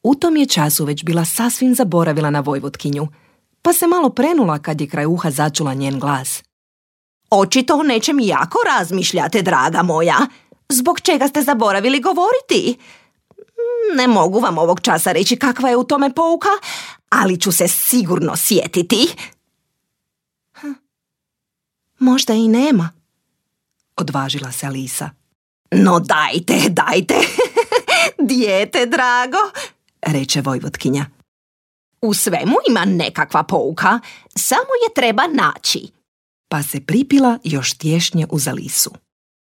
U tom je času već bila sasvim zaboravila na Vojvotkinju, pa se malo prenula kad je kraj uha začula njen glas. Očito o nečem jako razmišljate, draga moja. Zbog čega ste zaboravili govoriti? Ne mogu vam ovog časa reći kakva je u tome pouka, ali ću se sigurno sjetiti. Možda i nema, odvažila se Alisa. No dajte, dijete drago, reče Vojvotkinja. U svemu ima nekakva pouka, samo je treba naći. Pa se pripila još tješnje uz Alisu.